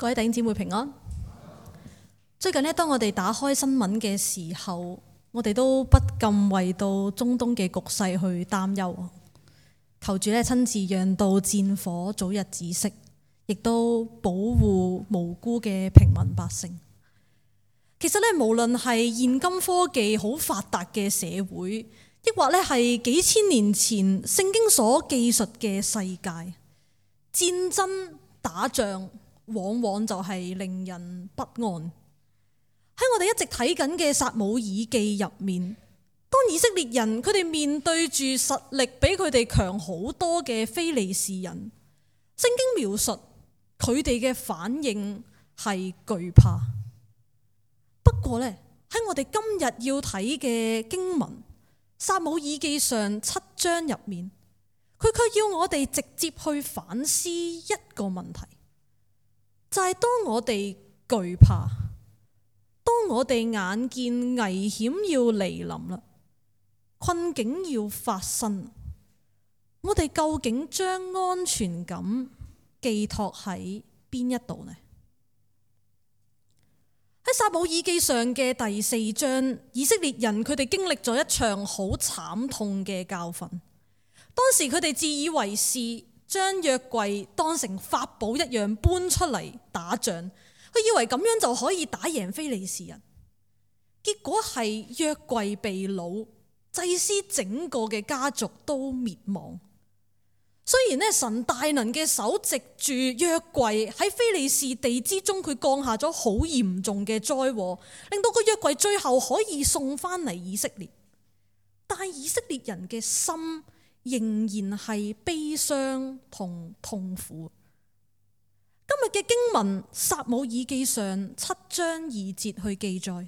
各位弟兄姊妹平安。最近當我哋打開新聞嘅時候，我哋都不禁為到中東嘅局勢去擔憂，求主親自讓到戰火早日止息，亦都保護無辜嘅平民百姓。其實無論係現今科技好發達嘅社會，抑或係幾千年前聖經所記述嘅世界，戰爭打仗往往就係令人不安。喺我哋一直睇緊嘅撒母耳記入面，當以色列人佢哋面對住實力比佢哋強好多嘅非利士人，聖經描述佢哋嘅反應係懼怕。不過喺我哋今日要睇嘅經文撒母耳記上7章入面，佢卻要我哋直接去反思一個問題，就係當我哋懼怕，當我哋眼見危險要嚟臨啦，困境要發生，我哋究竟將安全感寄託喺邊一度呢？喺撒母耳記上嘅第4章，以色列人佢哋經歷咗一場好慘痛嘅教訓。當時佢哋自以為是，將約櫃當成法寶一樣搬出嚟打仗，佢以為咁樣就可以打贏非利士人。結果係約櫃被擄，祭司整個嘅家族都滅亡。雖然神大能嘅手藉住約櫃喺非利士地之中，佢降下咗好嚴重嘅災禍，令到個約櫃最後可以送翻嚟以色列，但係以色列人嘅心仍然係悲傷同痛苦。今日嘅經文撒母耳記上7章2節去記載，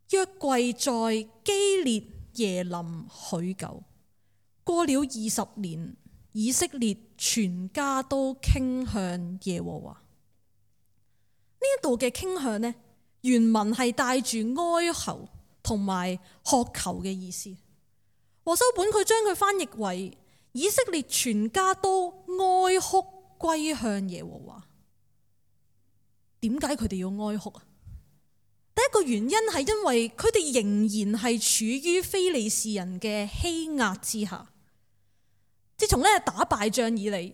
約櫃在基列耶琳許久，過了20年，以色列全家都傾向耶和華。呢一度嘅傾向原文係帶住哀求同埋渴求嘅意思。和修本佢將佢翻譯為以色列全家都哀哭歸向耶和華。點解佢哋要哀哭啊？第一個原因係因為佢哋仍然係處於非利士人嘅欺壓之下。自從打敗仗以嚟，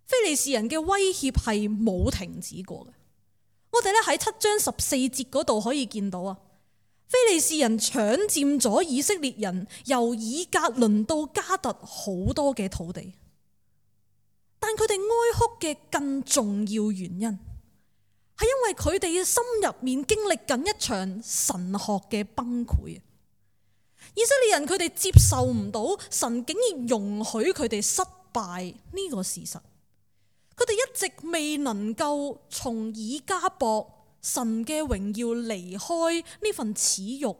非利士人嘅威脅係冇停止過嘅。我哋喺7章14節嗰度可以見到啊，非利士人搶佔咗以色列人由以革倫到加特好多嘅土地，但佢哋哀哭嘅更重要原因係因為佢哋嘅心入面經歷緊一場神學嘅崩潰。以色列人佢哋接受唔到神竟然容許佢哋失敗呢個事實，佢哋一直未能夠從以迦博神嘅榮耀離開呢份恥辱，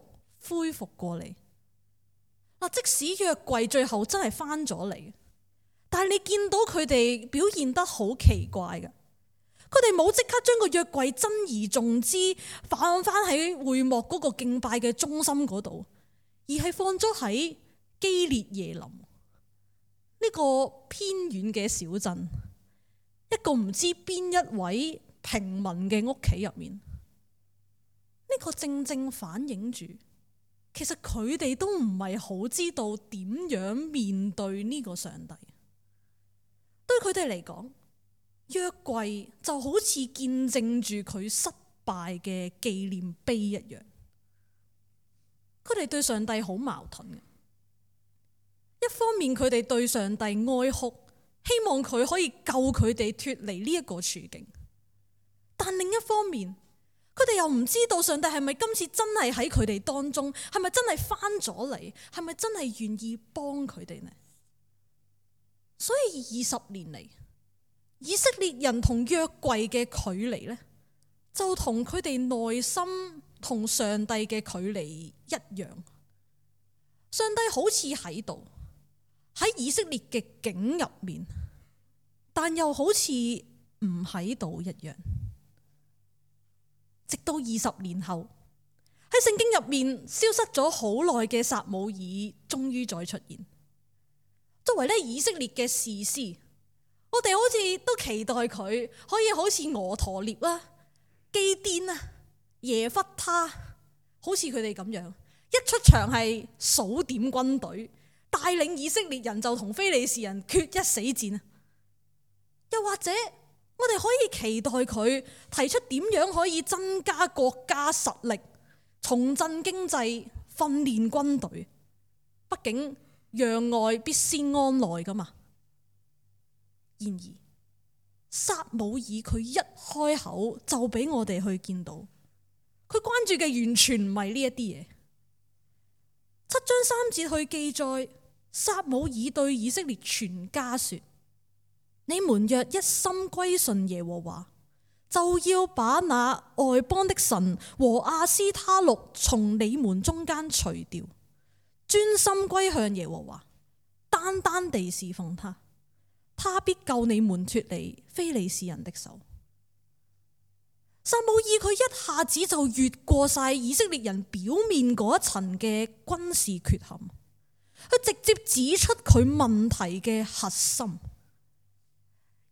恢復過嚟。即使約櫃最後真係翻咗嚟，但係你見到佢哋表現得好奇怪嘅，佢哋冇即刻將個約櫃珍而重之放翻喺會幕嗰個敬拜嘅中心嗰度，而係放咗喺基列耶琳呢個偏遠嘅小鎮，一個唔知邊一位平民嘅屋企入面。呢個正正反映住，其實佢哋都唔係好知道點樣面對呢個上帝。對佢哋嚟講，約櫃就好似見證住佢失敗嘅紀念碑一樣。佢哋對上帝好矛盾嘅，一方面佢哋對上帝哀哭，希望佢可以救佢哋脫離呢一個處境，但另一方面佢哋又唔知道上帝係咪今次真係喺佢哋當中，係咪真係翻咗嚟，係咪真係願意幫佢哋呢？所以20年嚟，以色列人同約櫃嘅距離就同佢哋內心同上帝嘅距離一樣。上帝好似喺度，喺以色列嘅境入面，但又好似唔喺度一樣。直到20年後，喺聖經入面消失咗好耐嘅撒母耳終於再出現。作為以色列嘅士師，我哋好似都期待佢可以好似俄陀聶啦，基甸啊、耶弗他，好似佢哋咁樣，一出場係數點軍隊，帶領以色列人就同非利士人決一死戰。又或者我哋可以期待佢提出點樣可以增加國家實力、重振經濟、訓練軍隊。畢竟攘外必先安內噶嘛。然而撒母耳佢一開口就俾我哋去見到，佢關注嘅完全唔係呢一啲嘢。7章3節去記載，撒母耳對以色列全家說：你們若一心歸順耶和華，就要把那外邦的神和亞斯他錄從你們中間除掉，專心歸向耶和華，單單地侍奉他，他必救你們脫離非利士人的手。撒母耳佢一下子就越過晒以色列人表面嗰一層嘅軍事缺陷，佢直接指出佢問題嘅核心。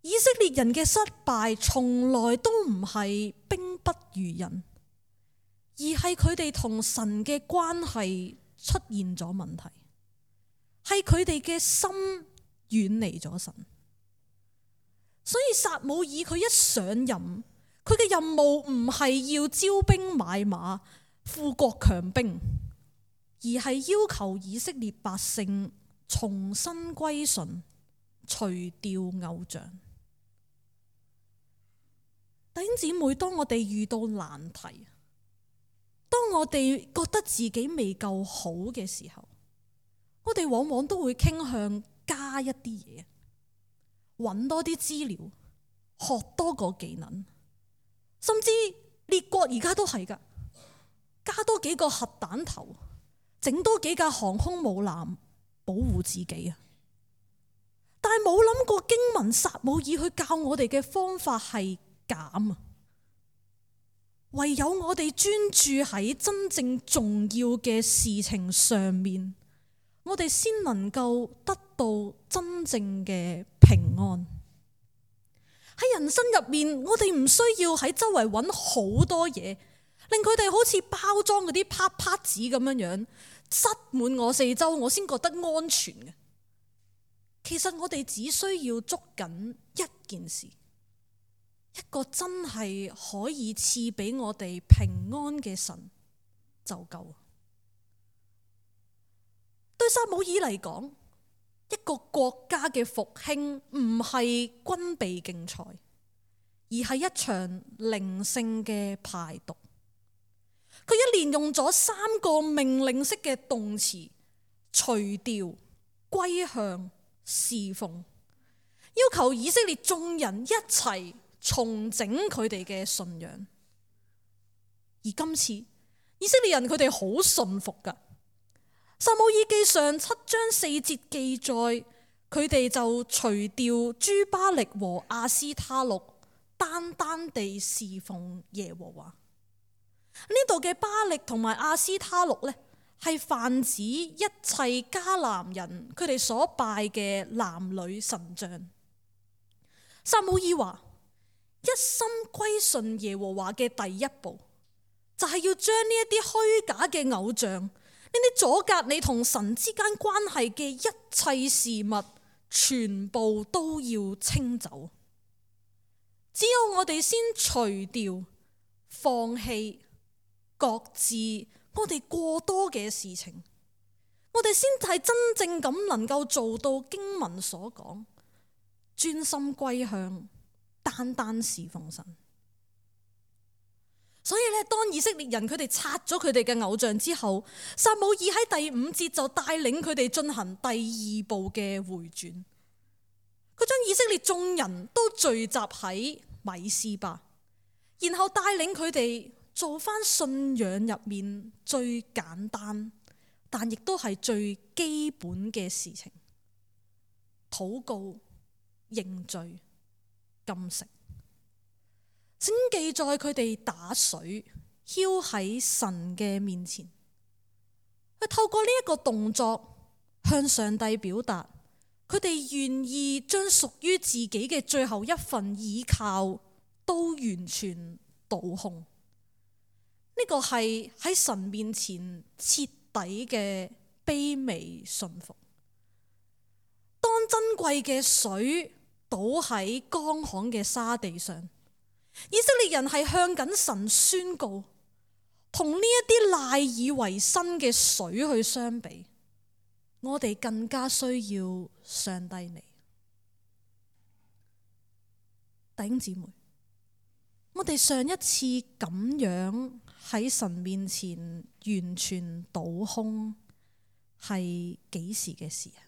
以色列人嘅失敗從來都唔係兵不如人，而係佢哋同神嘅關係出現咗問題，係佢哋嘅心遠離咗神。所以撒母耳佢一上任，佢嘅任務唔係要招兵買馬、富國強兵，而係要求以色列百姓重新歸順，除掉偶像。弟兄姊妹，當我哋遇到難題，當我哋覺得自己未夠好嘅時候，我哋往往都會傾向加一啲嘢，揾多啲資料，學多個技能，甚至列國而家都係噶，加多幾個核彈頭，整多幾架航空母艦保護自己啊！但係冇諗過經文撒母耳去教我哋嘅方法係減啊！唯有我哋專注喺真正重要嘅事情上面，我哋先能夠得到真正嘅平安。喺人生入面，我哋唔需要喺周圍揾好多嘢，令佢哋好似包裝嗰啲啪啪紙咁樣樣，塞滿我四周，我先覺得安全嘅。其實我哋只需要捉緊一件事，一個真係可以賜俾我哋平安嘅神就夠。對撒母耳嚟講，一個國家嘅復興唔係軍備競賽，而係一場靈性嘅排毒。佢一連用咗3個命令式嘅動詞：除掉、歸向、侍奉，要求以色列眾人一齊重整佢哋嘅信仰。而今次以色列人佢哋好信服噶。撒母耳記上7章4節記載，佢哋就除掉諸巴力和亞斯他錄，單單地侍奉耶和華。呢度嘅巴力同埋亞斯他錄呢，係泛指一切迦南人佢哋所拜嘅男女神像。撒母耳話：一心歸順耶和華嘅第一步，就係要將呢一啲虛假嘅偶像，呢啲阻隔你同神之間關係嘅一切事物，全部都要清走。只有我哋先除掉、放棄、擱置我哋過多嘅事情，我哋先係真正咁能夠做到經文所講，專心歸向，單單侍奉神。所以咧，當以色列人佢哋拆咗佢哋嘅偶像之後，撒母耳喺第5節就帶領佢哋進行第2步嘅回轉。佢將以色列眾人都聚集喺米斯巴，然後帶領佢哋做翻信仰入面最簡單，但亦都係最基本嘅事情：禱告、認罪、禁食。聖經記載佢哋打水澆喺神嘅面前，佢透過呢一個動作向上帝表達，佢哋願意將屬於自己嘅最後一份倚靠都完全倒倒空。呢個係喺神面前徹底嘅卑微順服。當珍貴嘅水倒喺乾旱嘅沙地上，以色列人係向緊神宣告，同呢一啲賴以為生嘅水去相比，我哋更加需要上帝你。弟兄姊妹，我哋上一次咁樣喺神面前完全倒空係幾時嘅事啊？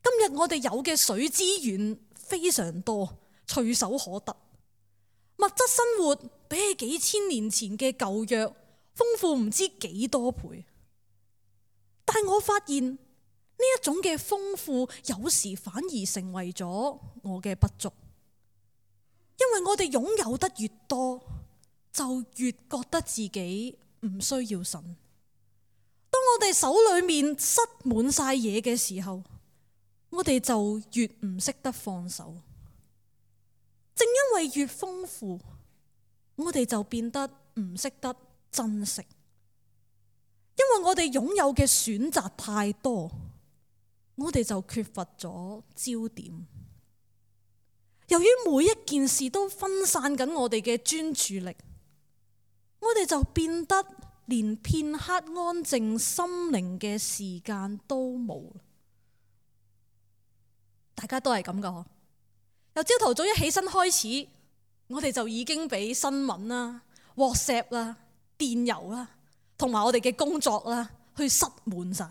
今日我哋有嘅水資源非常多，隨手可得，物質生活比起幾千年前嘅舊約豐富唔知幾多倍。但係我發現呢一種嘅豐富，有時反而成為咗我嘅不足，因為我哋擁有得越多，就越覺得自己唔需要神。當我哋手裏面塞滿晒嘢嘅時候，我哋就越唔識得放手。正因為越豐富，我哋就變得唔識得珍惜。因為我哋擁有嘅選擇太多，我哋就缺乏咗焦點。由於每一件事都分散緊我哋嘅專注力，我哋就變得連片刻安靜心靈嘅時間都冇。大家都係咁噶嗬？由朝頭早一起身開始，我哋就已經俾新聞啦、WhatsApp 啦、電郵啦，同埋我哋嘅工作啦，去塞滿晒。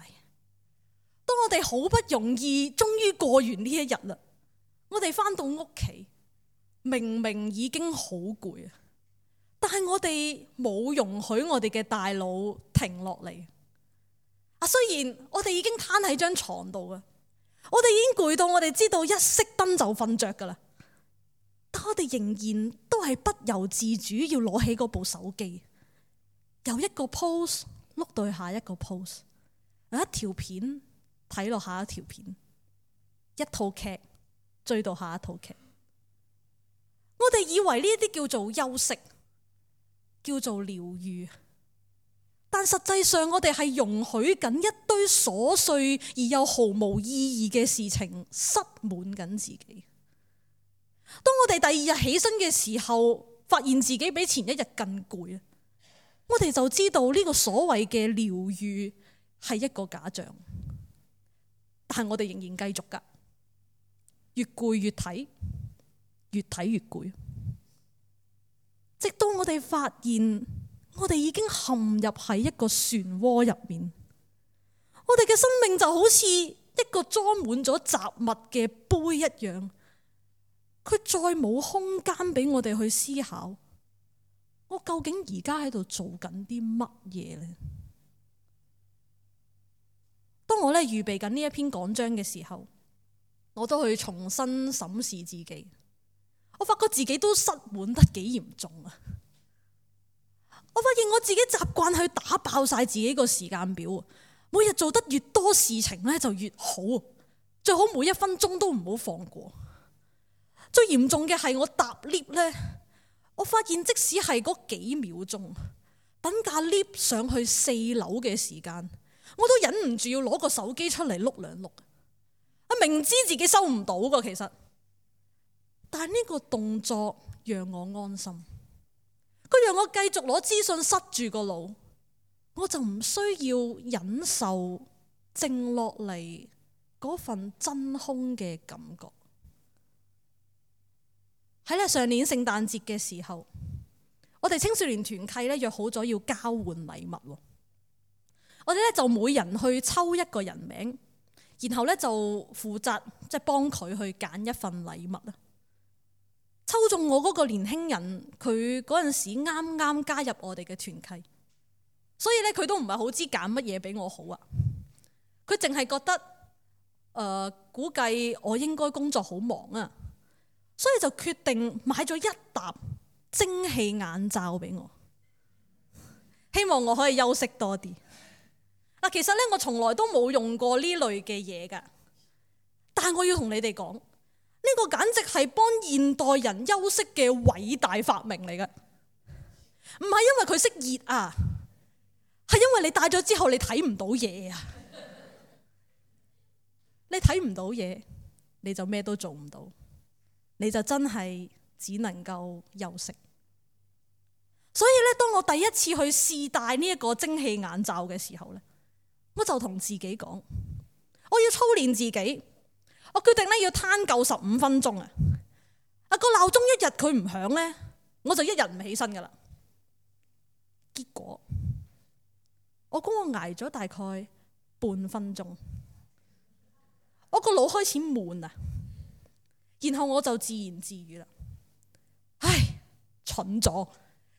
當我哋好不容易終於過完呢一日啦，我哋翻到屋企，明明已經好攰啊，但係我哋冇容許我哋嘅大腦停落嚟。雖然我哋已經攤喺張床度啊，我哋已經攰到我哋知道一熄燈就瞓着噶啦，但我哋仍然都係不由自主要攞起嗰部手機，由一個 post 碌到去下一個 post， 由一條片睇落下一條片，一套劇追到下一套劇。我哋以為呢啲叫做休息，叫做療愈，但實際上我哋係容許緊一堆瑣碎而又毫無意義嘅事情塞滿緊自己。當我哋第二日起身嘅時候，發現自己比前一日更攰，我哋就知道呢個所謂嘅療愈係一個假象。但係我哋仍然繼續噶，越攰越睇，越睇越攰，直到我哋發現我哋已經陷入喺一個漩渦入面。我哋嘅生命就好似一個裝滿咗雜物嘅杯一樣，佢再冇空間俾我哋去思考，我究竟而家喺度做緊啲乜嘢呢？當我預備緊呢一篇講章嘅時候，我都去重新審視自己，我發覺自己都塞滿得幾嚴重啊！我發現我自己習慣去打爆晒自己個時間表，每日做得越多事情就越好，最好每一分鐘都唔好放過。最嚴重嘅係我搭 lift 我發現即使係嗰幾秒鐘等架 lift 上去4樓嘅時間，我都忍唔住要攞個手機出嚟碌兩碌。明知自己收唔到噶，其實，但係呢個動作讓我安心，佢讓我繼續攞資訊塞住個腦，我就唔需要忍受靜落嚟嗰份真空嘅感覺。喺上年聖誕節嘅時候，我哋青少年團契約好咗要交換禮物，我哋就每人去抽一個人名，然後就負責幫佢去揀一份禮物啦。抽中我嗰個年輕人，佢嗰陣時啱啱加入我哋嘅團契，所以佢都唔係好知揀乜嘢俾我好啊。佢淨係覺得估計我應該工作好忙啊，所以就決定買咗一沓蒸汽眼罩俾我，希望我可以休息多啲。其實我從來都冇用過呢類嘅嘢噶，但係我要同你哋講，呢個簡直係幫現代人休息嘅偉大發明嚟嘅，唔係因為佢識熱啊，係因為你戴咗之後你睇唔到嘢啊！你睇唔到嘢，你就咩都做唔到，你就真係只能夠休息。所以咧，當我第一次去試戴呢一個蒸汽眼罩嘅時候咧，我就同自己講，我要操練自己。我決定咧要攤夠15分鐘啊！個鬧鐘一日佢唔響咧，我就一日唔起身噶啦。結果我估我挨咗大概半分鐘，我個腦開始悶啊，然後我就自言自語啦：唉，蠢咗，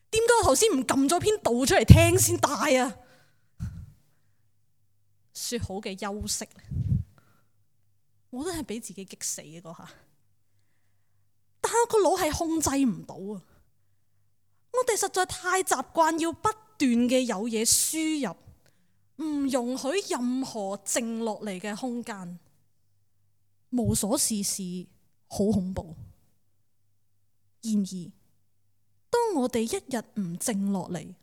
點解我頭先唔撳咗篇道出嚟聽先戴啊？說好嘅休息，我都係俾自己激死嘅嗰下，但係我個腦係控制唔到啊！我哋實在太習慣要不斷嘅有嘢輸入，唔容許任何靜落嚟嘅空間，無所事事，好恐怖。然而，當我哋一日唔靜落嚟，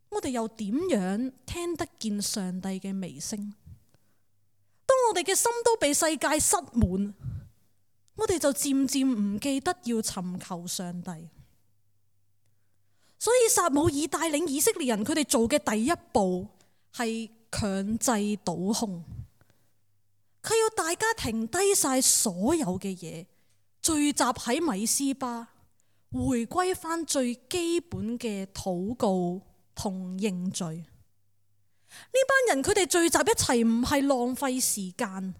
我哋又點樣聽得見上帝嘅微聲？當我哋嘅心都被世界塞滿，我哋就漸漸唔記得要尋求上帝。所以撒母耳帶領以色列人，佢哋做嘅第一步係強制倒空。佢要大家停低晒所有嘅嘢，聚集喺米斯巴，回歸翻最基本嘅禱告同認罪。呢班人佢哋聚集一齊唔係浪費時間，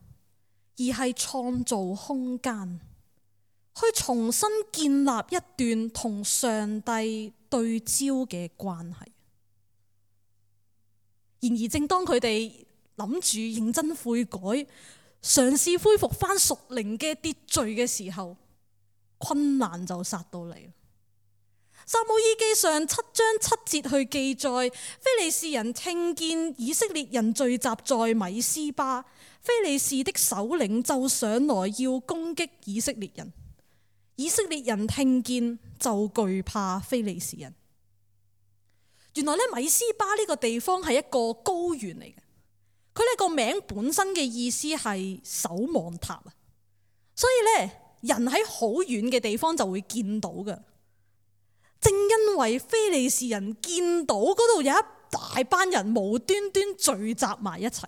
而係創造空間，去重新建立一段同上帝對焦嘅關係。然而正當佢哋諗住認真悔改，嘗試恢復翻屬靈嘅秩序嘅時候，困難就殺到嚟。撒母耳記上7章7節去記載，非利士人聽見以色列人聚集在米斯巴，非利士的首領就上來要攻擊以色列人。以色列人聽見就懼怕非利士人。原來咧，米斯巴呢個地方係一個高原嚟嘅，佢呢個名本身嘅意思係守望塔啊，所以咧，人喺好遠嘅地方就會見到嘅。正因為非利士人見到嗰度有一大班人無端端聚集埋一齊，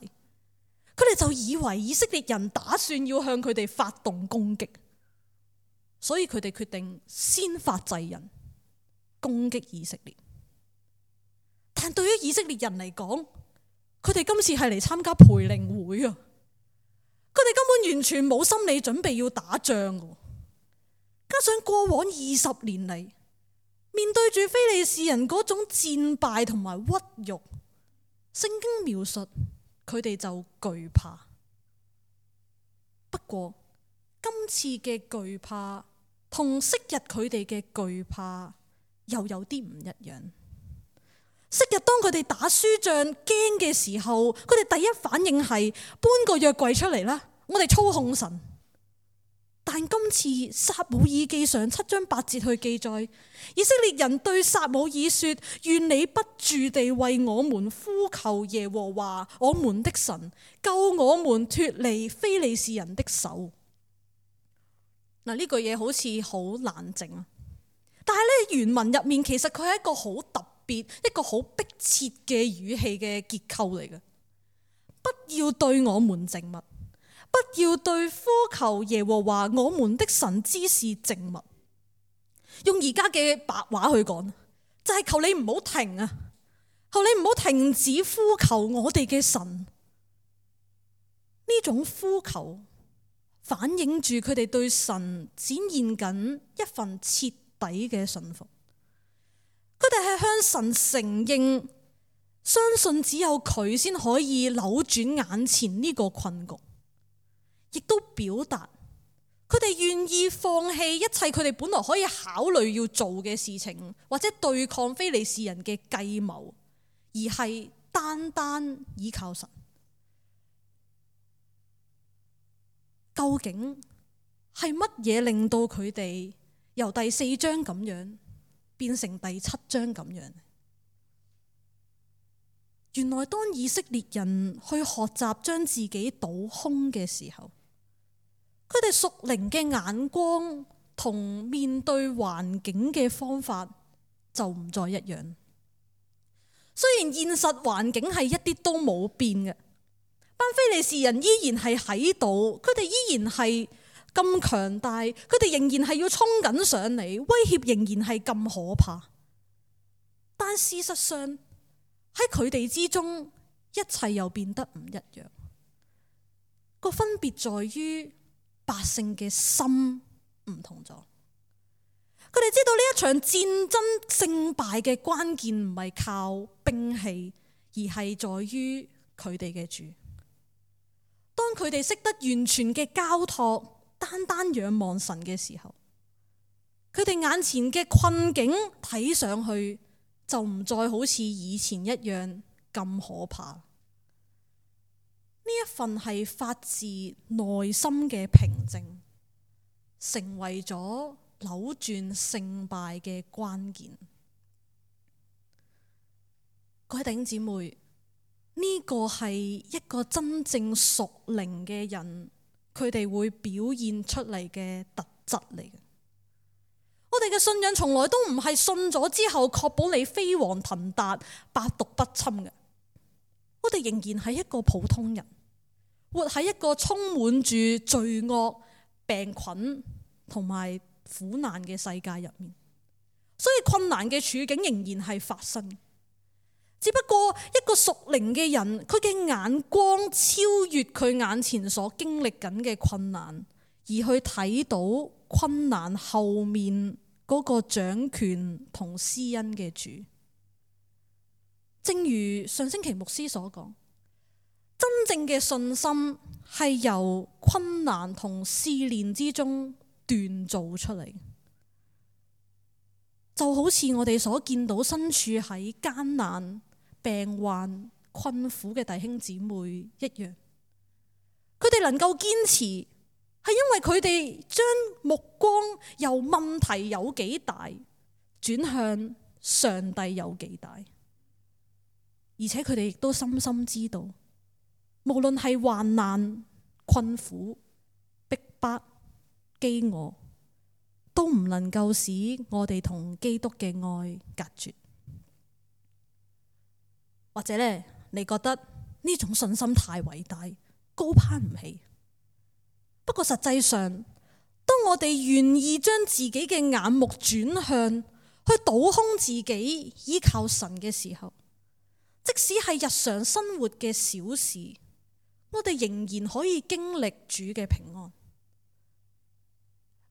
佢哋就以為以色列人打算要向佢哋發動攻擊，所以佢哋決定先發制人，攻擊以色列。但對於以色列人嚟講，佢哋今次係嚟參加培靈會啊，佢哋根本完全冇心理準備要打仗嘅，加上過往20年嚟，面對住非利士人嗰種戰敗同埋屈辱，聖經描述佢哋就懼怕。不過今次嘅懼怕同昔日佢哋嘅懼怕又有啲唔一樣。昔日當佢哋打輸仗驚嘅時候，佢哋第一反應係搬個約櫃出嚟啦，我哋操控神。但今次撒母耳記上7章8節去記載，以色列人對撒母耳說：願你不住地為我們呼求耶和華我們的神，救我們脫離非利士人的手。嗱，呢句嘢好似好冷靜啊，但係咧，原文入面其實佢係一個好特別、一個好迫切嘅語氣嘅結構嚟嘅。不要對我們靜默，不要對呼求耶和華我們的神之事靜默。用而家嘅白話去講，就係求你唔好停啊，求你唔好停止呼求我哋嘅神。呢種呼求反映住佢哋對神展現緊一份徹底嘅信服。佢哋係向神承認，相信只有佢先可以扭轉眼前呢個困局，亦都表達佢哋願意放棄一切佢哋本來可以考慮要做嘅事情，或者對抗非利士人嘅計謀，而係單單依靠神。究竟係乜嘢令到佢哋由第4章咁樣變成第7章咁樣？原來當以色列人去學習將自己倒空嘅時候，佢哋屬靈嘅眼光同面對環境嘅方法就唔再一樣。雖然現實環境係一啲都冇變嘅，班非利士人依然係喺度，佢哋依然係咁強大，佢哋仍然係要衝緊上嚟，威脅仍然係咁可怕。但事實上喺佢哋之中，一切又變得唔一樣。個分別在於百姓嘅心唔同咗。佢哋知道呢一場戰爭勝敗嘅關鍵唔係靠兵器，而係在於佢哋嘅主。當佢哋識得完全嘅交託，單單仰望神嘅時候，佢哋眼前嘅困境睇上去就唔再好似以前一樣咁可怕。呢一份係發自內心嘅平靜，成為咗扭轉勝敗嘅關鍵。各位弟兄姊妹，呢個係一個真正屬靈嘅人，佢哋會表現出嚟嘅特質嚟嘅。我哋嘅信仰從來都唔係信咗之後確保你飛黃騰達、百毒不侵嘅。我哋仍然係一個普通人，活喺一個充滿住罪惡、病菌同埋苦難嘅世界入面，所以困難嘅處境仍然係發生。只不過一個屬靈嘅人，佢嘅眼光超越佢眼前所經歷緊嘅困難，而去睇到困難後面嗰個掌權同施恩嘅主。正如上星期牧師所講，真正嘅信心係由困難同試煉之中鍛造出嚟，就好似我哋所見到身處喺艱難、病患、困苦嘅弟兄姊妹一樣，佢哋能夠堅持，係因為佢哋將目光由問題有幾大轉向上帝有幾大，而且佢哋亦都深深知道，無論係患難、困苦、逼迫、飢餓，都唔能夠使我哋同基督嘅愛隔絕。或者咧，你覺得呢種信心太偉大，高攀唔起。不過實際上，當我哋願意將自己嘅眼目轉向去倒空自己，依靠神嘅時候，即使係日常生活嘅小事，我哋仍然可以經歷主嘅平安。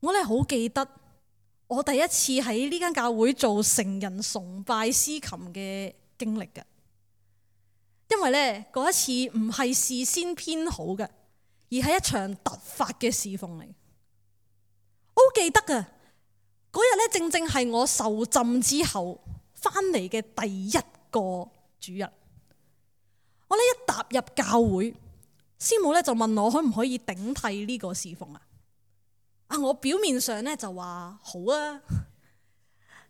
我哋好記得我第一次喺呢間教會做成人崇拜司琴嘅經歷嘅，因為呢嗰一次唔係事先編好嘅，而係一場突發嘅侍奉嚟。我好記得啊，嗰日呢正正係我受浸之後翻嚟嘅第一個主日。我呢一踏入教會，師母呢就問我可唔可以頂替呢個侍奉啊？我表面上呢就話好啊，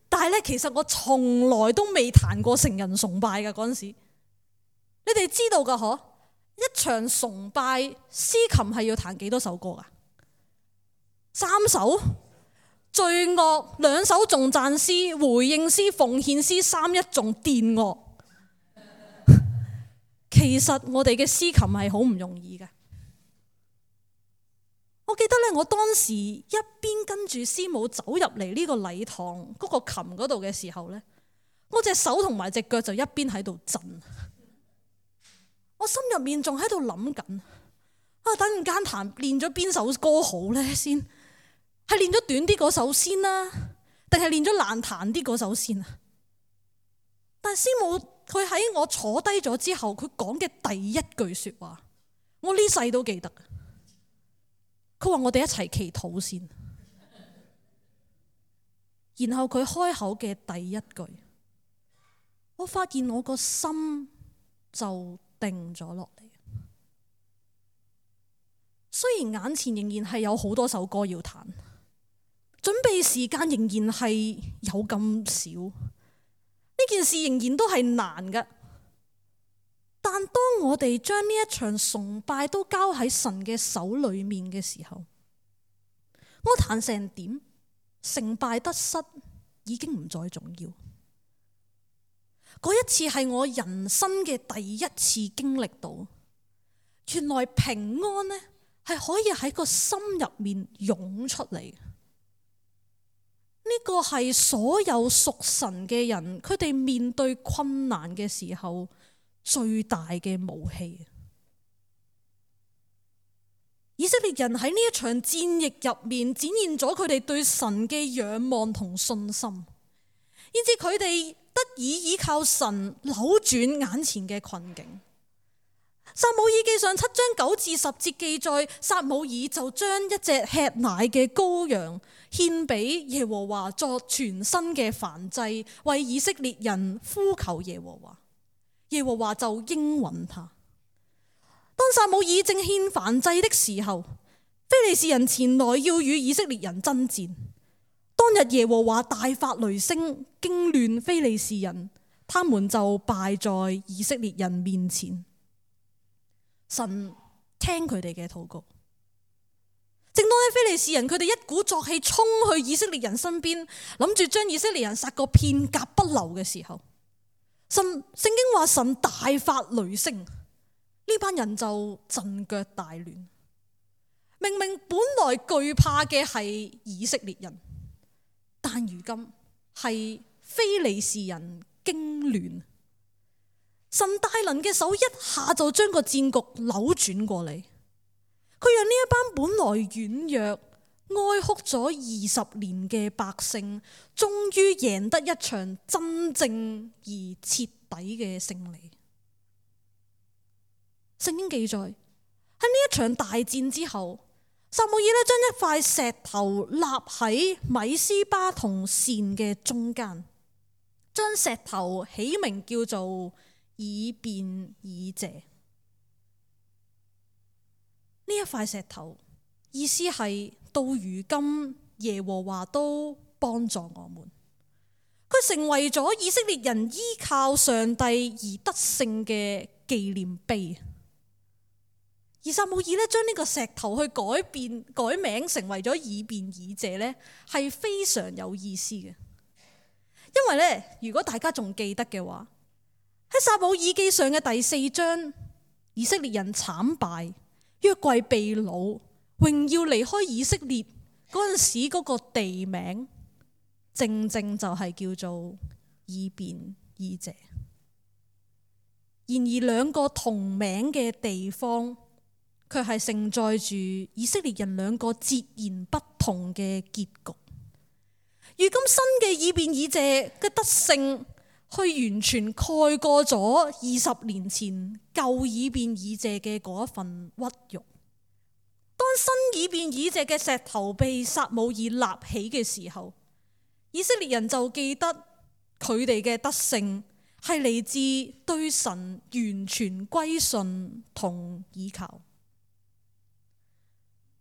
但係呢，其實我從來都未彈過成人崇拜嘅嗰陣時。你哋知道噶嗬？一場崇拜司琴係要彈幾多首歌噶？3首，罪惡2首，頌讚詩、回應詩、奉獻詩3一仲電樂。其實我哋嘅司琴係好唔容易嘅。我記得咧，我當時一邊跟住師母走入嚟呢個禮堂嗰個琴嗰度嘅時候咧，我隻手同埋隻腳就一邊喺度震。我心入面仲喺度諗緊，等陣間練咗邊首歌好咧先？係練咗短啲嗰首先啦，定係練咗難彈啲嗰首先啊？但係師母佢喺我坐低咗之後，佢講嘅第一句說話，我呢世都記得。佢話我哋一齊祈禱先，然後佢開口嘅第一句，我發現我個心就定咗落嚟。雖然眼前仍然係有好多首歌要彈，準備時間仍然係有咁少，呢件事仍然都係難嘅。但當我哋將呢一場崇拜都交喺神嘅手裏面嘅時候，我彈成點，成敗得失已經唔再重要。嗰一次係我人生嘅第一次經歷到，原來平安呢係可以喺個心入面湧出嚟。呢個係所有屬神嘅人，佢哋面對困難嘅時候最大嘅武器。以色列人喺呢一場戰役入面展現咗佢哋對神嘅仰望同信心，以致佢哋得以依靠神扭轉眼前嘅困境。撒母耳記上7章9至10節記載，撒母耳就將一隻吃奶嘅羔羊獻俾耶和華作全新嘅燔祭，為以色列人呼求耶和華。耶和華就應允他。當撒母耳正獻燔祭的時候，非利士人前來要與以色列人爭戰。當日耶和華大發雷聲，驚亂非利士人，他們就敗在以色列人面前。神聽佢哋嘅禱告。正當非利士人佢哋一鼓作氣衝去以色列人身邊，諗住將以色列人殺個片甲不留嘅時候，聖經話神大發雷聲，呢班人就陣腳大亂。明明本來懼怕嘅係以色列人，但如今係非利士人驚亂。神大能嘅手一下就將個戰局扭轉過嚟，佢讓呢一班本來軟弱、哀哭咗20年嘅百姓，終於贏得一場真正而徹底嘅勝利。聖經記載喺呢一場大戰之後，撒母耳將一塊石頭立喺米斯巴同善嘅中間，將石頭起名叫做以便以謝。呢一塊石頭意思係到如今耶和華都幫助我們，佢成為咗以色列人依靠上帝而得勝嘅紀念碑。而撒母耳將呢個石頭去改名成為咗以便以謝呢，係非常有意思嘅。因為呢，如果大家仲記得嘅話，喺撒母耳記上嘅第4章，以色列人慘敗，約櫃被擄，榮耀離開以色列嗰陣時，嗰個地名正正就係叫做以便以謝。然而兩個同名嘅地方，卻係承載住以色列人兩個截然不同嘅結局。如今新嘅以便以謝嘅得勝，去完全蓋過咗20年前舊以便以謝嘅嗰一份屈辱。當新以便以謝嘅石頭被撒母耳立起嘅時候，以色列人就記得佢哋嘅得勝係嚟自對神完全歸順同依靠。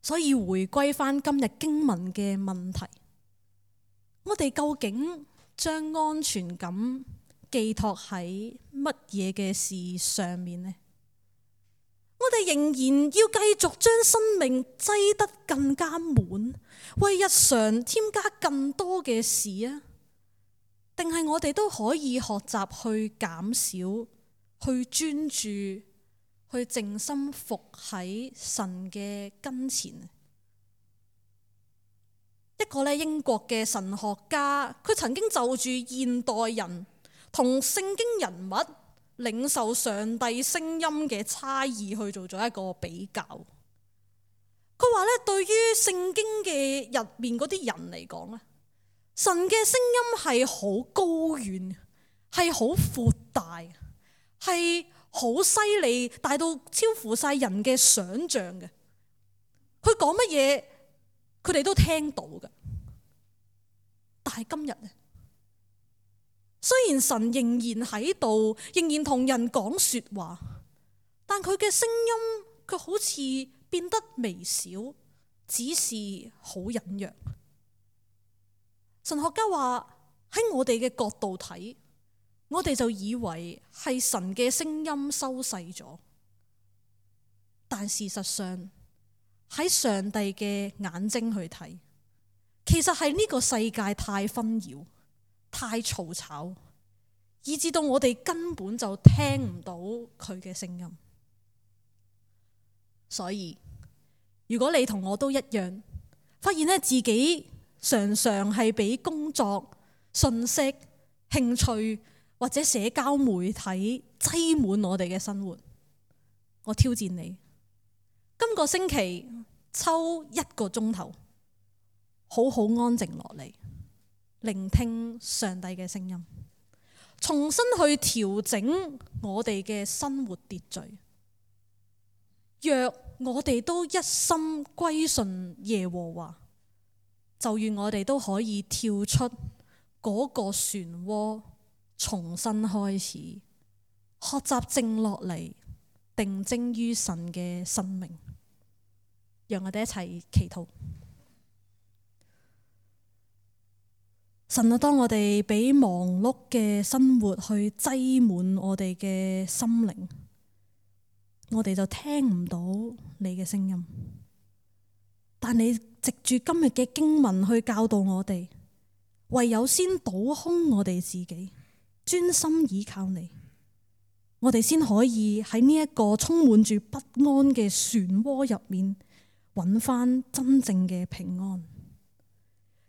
所以回歸翻今日經文嘅問題，我哋究竟將安全感寄託喺乜嘢嘅事上面呢？我哋仍然要繼續將生命擠得更加滿，為日常添加更多嘅事啊？定係我哋都可以學習去減少，去專注，去靜心服喺神嘅跟前？一個英國嘅神學家，佢曾經就住現代人同聖經人物領受上帝聲音嘅差異去做咗一個比較。佢話對於聖經嘅入面嗰啲人嚟講，神嘅聲音係好高遠，係好闊大，係好犀利，大到超乎晒人嘅想象嘅。佢講乜嘢，佢哋都聽到嘅。但係今日呢，雖然神仍然喺度，仍然同人講說話，但佢嘅聲音卻好似變得微小，只是好隱約。神學家話喺我哋嘅角度睇，我哋就以為係神嘅聲音收細咗，但事實上喺上帝嘅眼睛去睇，其實係呢個世界太紛擾、太嘈吵，以致到我哋根本就聽唔到佢嘅聲音。所以如果你同我都一樣，發現自己常常係俾工作、信息、興趣或者社交媒體擠滿我哋嘅生活，我挑戰你，今個星期抽1個鐘頭，好好安靜落嚟，聆聽上帝嘅聲音，重新去調整我哋嘅生活秩序。若我哋都一心歸順耶和華，就願我哋都可以跳出嗰個漩渦，重新開始，學習靜落嚟，定睛於神嘅生命。讓我哋一齊祈禱。神啊，當我哋俾忙碌嘅生活去擠滿我哋嘅心靈，我哋就聽唔到你嘅聲音。但你藉住今日嘅經文去教導我哋，唯有先倒空我哋自己，專心倚靠你，我哋先可以喺呢一個充滿住不安嘅漩渦入面，揾翻真正嘅平安。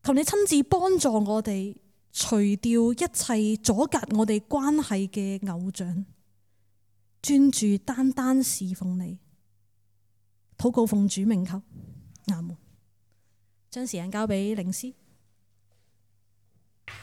求你親自幫助我哋，除掉一切阻隔我哋關係嘅偶像，專注單單侍奉你。禱告奉主名求，阿門。將時間交俾領詩。